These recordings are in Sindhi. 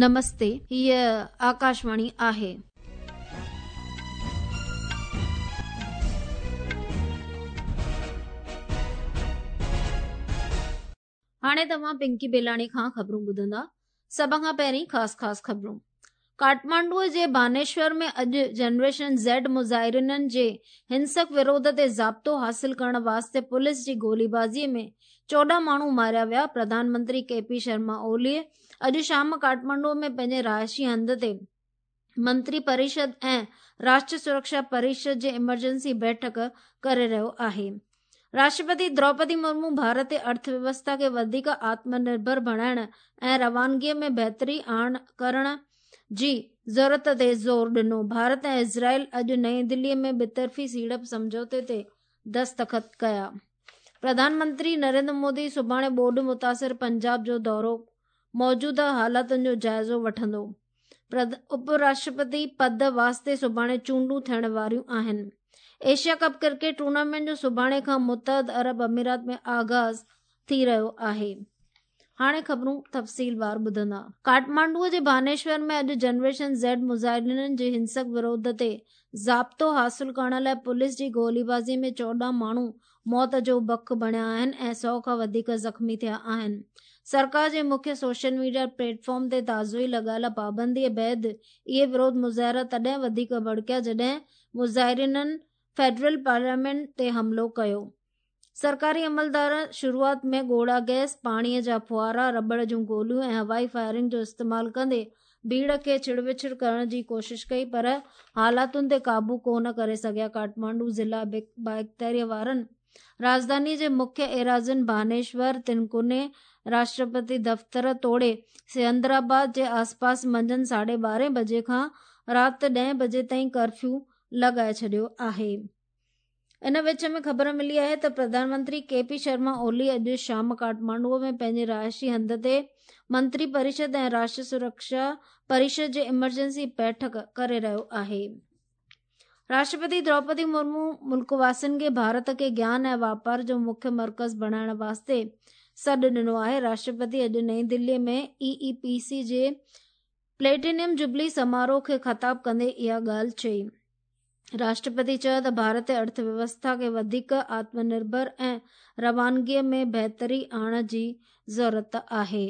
نمستي، هيء آڪاشواڻي آهي. هاڻي توهان پنڪي بيلاڻي کان خبرون ٻڌندا. سڀ کان پهرين خاص خاص خبرون. ڪاٺمانڊو جي بانيشور ۾ اڄ جنريشن زيڊ مظاهرينن جي هنسڪ وروڌ تي ضابطو حاصل ڪرڻ واسطي پوليس جي گوليبازي ۾ 14 ماڻهو ماريا ويا. پرڌان منتري ڪي پي شرما اولي اڄ شام ڪاٺمانڊو ۾ پنهنجي رهائشي هنڌ تي منتري پريشد ۽ راشٽر سرڪشا پريشد جي ايمرجنسي بيٺڪ ڪري رهيو آهي. راشٽرپتي دروپدي مرمو ڀارتي ارٿ ويوسٿا کي وڌيڪ آتم نرڀر بڻائڻ ۽ روانگي ۾ بهتري آڻ ڪرڻ جي ضرورت تي زور ڏنو. ڀارت ۽ اسرائيل اڄ نئين دهلي ۾ ٻطرفي سيڙپ سمجهوتي تي دستخط ڪيا. پرڌان منتري نريندر مودي سڀاڻي ٻوڏ متاثر پنجاب جو دورو موجوده حالتن جو جائزو وٺندو. اپ راشٽرپتي پد واسطي سڀاڻي چونڊون ٿيڻ واريون آهن. ايشيا ڪپ ڪرڪيٽ ٽورنامينٽ جو سڀاڻي کان متحد عرب امارات ۾ آغاز ٿي رهيو آهي. هاڻي خبرون تفصيلوار ٻڌندا. ڪاٺمانڊو جي بانيشور ۾ اڄ جنريشن زيڊ مظاهرين جي هنسڪ وروڌ تي ضابطو حاصل ڪرڻ لاء پوليس جي گوليبازي ۾ 14 ماڻهو موت جو بک بڻيا آهن ۽ سئو کان وڌيڪ زخمي ٿيا آهن. سرڪار جي مکيه سوشل ميڊيا پليٽ فارم تي تازو ئي لڳايل پابنديء بعد اهي وروڌ مظاهرا تڏهن وڌيڪ ڀڙڪيا جڏهن مظاهرينن فيڊرل پارليامينٽ تي حملو ڪيو. سرڪاري عملدارن شروعات ۾ ڳوڙها گئس، پاڻيء جا ڦوهارا، رٻڙ جون گوليون ۽ هوائي فائرنگ جو استعمال ڪندي ڀيڙ کي ڇڙوڇڙ ڪرڻ جي ڪوشش ڪئي پر حالاتن تي قابو ڪو نه ڪري سگهيا. ڪاٺمانڊو ضلع بااختياري وارن راڄڌاني جي مکيه ايراضين ڀانيشور، تنڪوني، راشٽرپتي دفتر توڙي سيندرآباد جي آسپاس منجهند ساڍي ٻارهين بجي کان رات ڏهين بجي تائين ڪرفيو لڳائي ڇڏيو آهي. ان وچ ۾ خبر ملي آهي ته پرڌان منتري ڪي پي شرما اولي اڄ شام ڪاٺمانڊو ۾ پنهنجي رهائشي هنڌ تي منتري پريشد ۽ راشٽر سرڪشا پريشد جي ايمرجنسي بيٺڪ ڪري رهيو آهي. راشٽرپتي دروپدي مرمو ملڪ واسين کي ڀارت کي گيان ۽ واپار جو مکيه مرڪز بڻائڻ واسطي سڏ ڏنو آهي. راشٽرپتي اڄ نئين دهلي ۾ اي اي پي سي جي پليٽينيم جوبلي سماروهه کي خطاب ڪندي اها ڳالهه چئي. راشٽرپتي چيو ته ڀارتي ارٿ ويوسٿا کي وڌيڪ آتم نرڀر ۽ روانگي ۾ بهتري آڻڻ جي ضرورت آهي.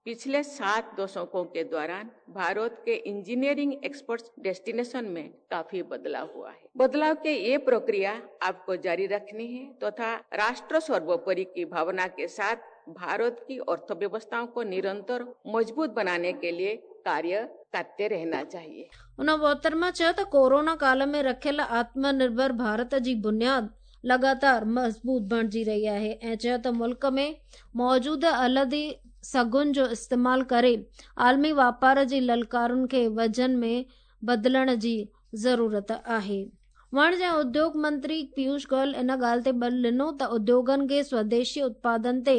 पिछले 7 दशकों के दौरान भारत के इंजीनियरिंग एक्सपोर्ट्स डेस्टिनेशन में काफी बदलाव हुआ है। बदलाव के ये प्रक्रिया आपको जारी रखनी है तथा राष्ट्र सर्वोपरि की भावना के साथ भारत की अर्थव्यवस्थाओं को निरंतर मजबूत बनाने के लिए कार्य करते रहना चाहिए। ان محترمه چيو ته ڪورونا ڪال ۾ رکيل آتم نرڀر ڀارت جي بنياد لڳاتار مضبوط بڻجي رهي آهي ۽ چيو ته ملڪ ۾ موجود الهندي سگهن جو استعمال ڪري عالمي واپار جي للڪارن کي وزن ۾ بدلڻ جي ضرورت آهي. وڻج ۽ اديوگ منتري پيوش گويل ان ڳالهه تي ٻل ڏنو ته اديوگن کي سوديشي اتپادن تي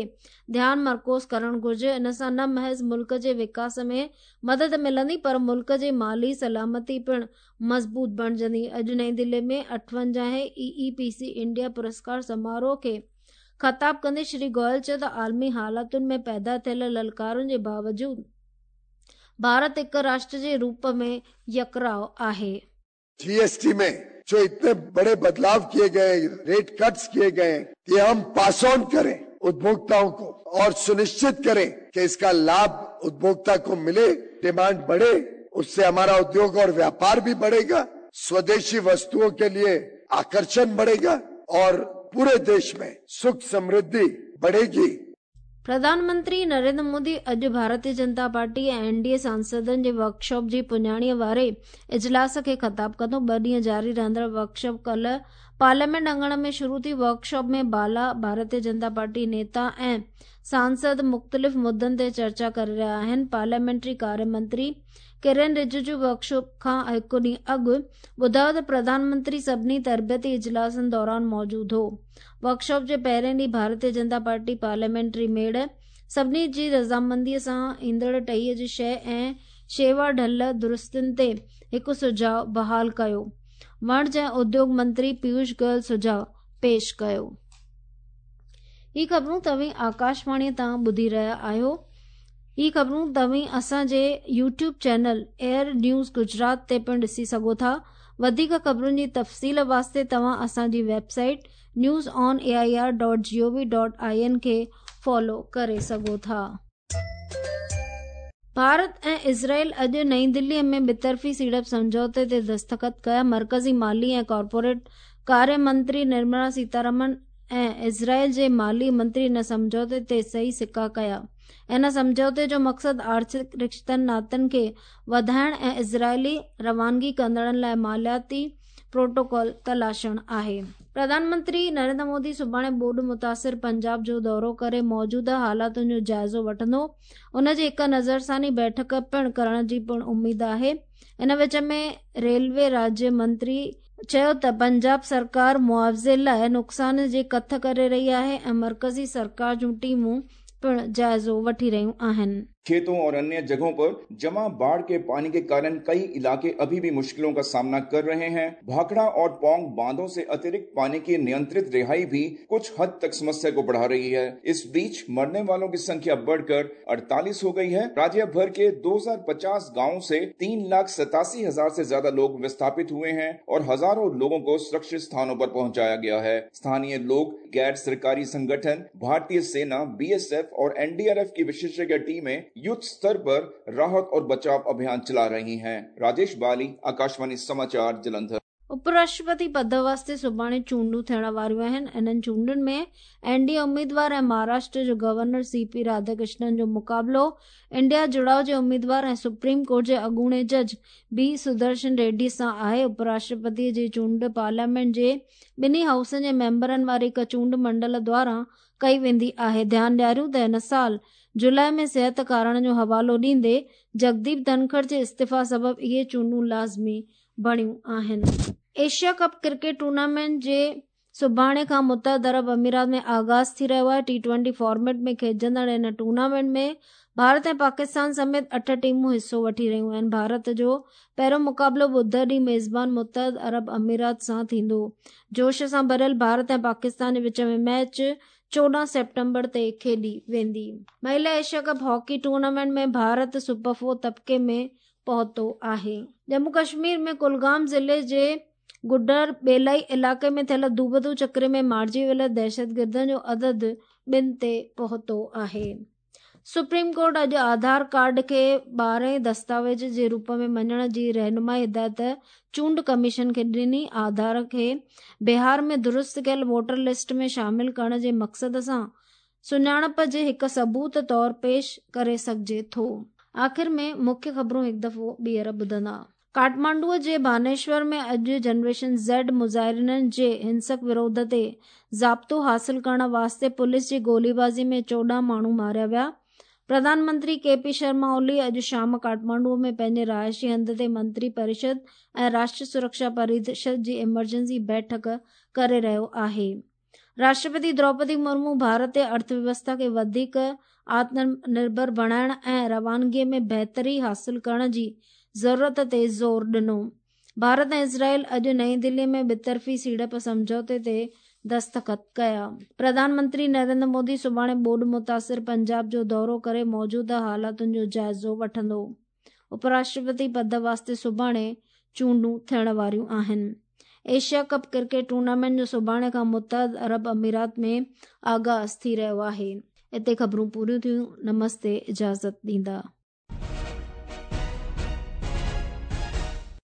ڌيان مرڪوز ڪرڻ گهرجي، ان سان نه محض ملڪ جي وڪاس ۾ مدد ملندي پر ملڪ جي مالي سلامتي پڻ مضبوط بڻجندي. اڄ نئين دهلي ۾ اٺونجاهين اي اي پي سي انڊيا پرسڪار سماروهه کي خطاب ڪندي شري گويل چيو ته عالمي حالتن ۾ پيدا ٿيل للڪارن جي باوجود ڀارت هڪ راشٽر جي روپ ۾ يڪراء آهي. जीएसटी में जो इतने बड़े बदलाव किए गए, रेट कट्स किए गए, ये हम पास ऑन करें उपभोक्ताओं को और सुनिश्चित करें कि इसका लाभ उपभोक्ता को मिले, डिमांड बढ़े, उससे हमारा उद्योग और व्यापार भी बढ़ेगा, स्वदेशी वस्तुओं के लिए आकर्षण बढ़ेगा और पूरे देश में सुख समृद्धि बढ़ेगी। پرڌان منتري نريندر مودي اڄ Bharatiya Janata party ۽ N D A سانسدن جي ورڪشاپ جي پڄاڻيء واري اجلاس کي خطاب ڪندو. ٻه ڏينهن جاري رهندڙ ورڪشاپ ڪالهه پارليامينٽ اڱڻ ۾ شروع ٿي. ورڪشاپ ۾ بالا، ڀارتيه جنتا پارٽي نيتا ۽ سانسد مختلف مدن تي چرچا ڪري رهيا آهن. پارليامينٽري ڪاري منتري ڪرين رججو ورڪشاپ کان هڪ ڏينهن اڳ ٻڌايو ته پرڌان منتري سڀني تربيتي اجلاسن دوران موجود هو. ورڪشاپ جي پهرين ڏينهن ڀارتيه جنتا پارٽي پارليامينٽري ميڙ سڀني جي رضامندي سان ايندڙ ٽهيء جي شيء ۽ شيوا ڍل درستين تي هڪ سجهاء بحال ڪيو. وڻج ۽ اديوگ منتري پيوش گويل سجهاء پيش ڪيو. هي خبرون توهين آڪاشواڻي تان ٻڌي رهيا آهيو. هي خبرون توهين اسان جي YouTube channel AIR news Gujarat تي پڻ ڏسي سگهو ٿا. وڌيڪ خبرن جي تفصيل واسطي توهان اسان جي website news on A I R dot G O V dot I N کي فالو ڪري سگهو ٿا. ڀارت ۽ اسرائيل اڄ نئين دهلي ۾ ٻطرفي سيڙپ سمجهوتي تي دستخط ڪيا. مرڪزي مالي ۽ ڪارپوريٽ ڪاري منتري نرملا سيتارامن ۽ اسرائيل جي مالي منتري ان سمجهوتي تي صحيح سڪا ڪيا. ان سمجهوتي جو مقصد آرٿڪ رشتن ناتن کي وڌائڻ ۽ اسرائيلي روانگي ڪندڙن لاء مالياتي پروٽوڪول تلاشڻ آهي. پرڌان منتري نريندر مودي سڀاڻي ٻوڏ متاثر پنجاب جو دورو ڪري موجوده حالاتن جو جائزو وٺندو. ان جي هڪ نظرثاني بيٺڪ پڻ ڪرڻ جي پڻ اميد آهي. ان وچ ۾ ريلوي راجيه منتري چيو ته پنجاب سرڪار معاوضي لاء نقصان جي ڪٿ ڪري رهي آهي ۽ مرڪزي سرڪار جون ٽيمون پڻ جائزو وٺي رهيون آهن. खेतों और अन्य जगहों पर जमा बाढ़ के पानी के कारण कई इलाके अभी भी मुश्किलों का सामना कर रहे हैं। भाखड़ा और पोंग बांधों से अतिरिक्त पानी की नियंत्रित रिहाई भी कुछ हद तक समस्या को बढ़ा रही है। इस बीच मरने वालों की संख्या बढ़कर 48 हो गई है। राज्य भर के 2050 गांवों से 3,87,000 से ज्यादा लोग विस्थापित हुए हैं और हजारों लोगों को सुरक्षित स्थानों पर पहुंचाया गया है। स्थानीय लोग, गैर सरकारी संगठन, भारतीय सेना, बीएसएफ और एनडीआरएफ की विशेषज्ञ टीमें युद्ध स्तर पर राहत और बचाव अभियान चला रही हैं। राजेश बाली, आकाशवाणी समाचार, जलंधर। उपराष्ट्रपति पद वास्ते सुभाणे चूंडूं थियण वारियूं आहिनि। इन्हनि चूंडुनि में एन डी ए उम्मीदवार ऐं महाराष्ट्र जो गवर्नर सी पी राधाकृष्णन जो मुक़ाबिलो इंडिया जुड़ाव जे उम्मीदवार ऐं सुप्रीम कोर्ट जे अॻूणे जज बी सुदर्शन रेड्डी सां आहे। उपराष्ट्रपति जी चूंड पार्लियामेंट जे ॿिन्ही हाउसनि जे मेंबरनि वारी हिकु चूंड मंडल द्वारा कई वेंदी आहे। ध्यानु ॾियारियूं त हिन साल जुलाई में सिहत कारण जो हवालो ॾींदे जगदीप धनखड़ जे इस्तीफ़ा सबबि इहे चूंडूं लाज़मी बणियूं आहिनि। एशिया कप क्रिकेट टूर्नामेंट जे सुभाणे खां मुतहद अरब अमीरात में आगाज़ थी रहियो आहे। टी ट्वेंटी फॉर्मेट में खेॾजंदड़ हिन टूर्नामेंट में भारत ऐं पाकिस्तान समेत 8 टीमूं हिसो वठी रहियूं आहिनि। भारत जो पहिरियों मुक़ाबिलो ॿुधर ॾींहुं मेज़बान मुतहद अरब अमीरात सां थींदो। जोश सां भरियल भारत ऐं पाकिस्तान जे विच में मैच 14 सेप्टेम्बर ते खेॾी वेंदी। महिला Asia cup hockey tournament में भारत सुपर 4 तबके में पहुतो आहे। जम्मू कश्मीर में कुलगाम ज़िले जे गुडर बेलाई इलाइक़े में थियल दूबदू चक्रे में मारिजी वियल दहशतगिर्दनि जो अदद 2 ते पहुतो आहे। सुप्रीम कोर्ट अॼु आधार कार्ड खे 12 दस्तावेज़ जे रूप में मञण जी रहनुमाई हिदायत चूंड कमीशन खे ॾिनी। आधार खे बिहार में दुरुस्त कयल वोटर लिस्ट में शामिल करण जे मक़सद सां सुञाणप जे हिकु सबूत तौर पेश करे सघिजे थो। आख़िर में मुख्य ख़बरूं हिकु दफ़ो ॿीहर ॿुधंदा। काठमांडूअ जे बानेश्वर में अॼु जनरेशन ज़ेड मुज़ाहिरिननि जे हिंसक विरोध ते ज़ाब्तो हासिल करण वास्ते पुलिस जी गोलीबाज़ी में 14 माण्हू मारिया विया। प्रधानमंत्री के पी शर्मा ओली अॼु शाम काठमांडूअ में पंहिंजे रिहाइशी हंधि ते मंत्री परिषद ऐं राष्ट्रीय सुरक्षा परिषद जी इमरजेंसी बैठक करे रहियो आहे। राष्ट्रपति द्रौपदी मुर्मू भारत जे अर्थव्यवस्था खे वधीक आत्मनिर्भर बणाइण ऐं रवानगीअ में बहितरी हासिल करण जी ज़रूरत ते ज़ोर ॾिनो। भारत ऐं इसराइल अॼु नई दिल्ली में ॿितरफ़ी सीड़प सम्झौते ते दस्तख़त कया। प्रधानमंत्री नरेंद्र मोदी सुभाणे ॿोॾ मुतासिर पंजाब जो दौरो करे मौजूदा हालातुनि जो जाइज़ो वठंदो। उपराष्ट्रपति पद वास्ते सुभाणे चूंडूं थियण वारियूं आहिनि। एशिया कप क्रिकेट टूर्नामेंट जो सुभाणे खां मुतहद अरब अमीरात में आगाज़ थी रहियो आहे। हिते ख़बरूं पूरियूं थियूं। नमस्ते, इजाज़त ॾींदा।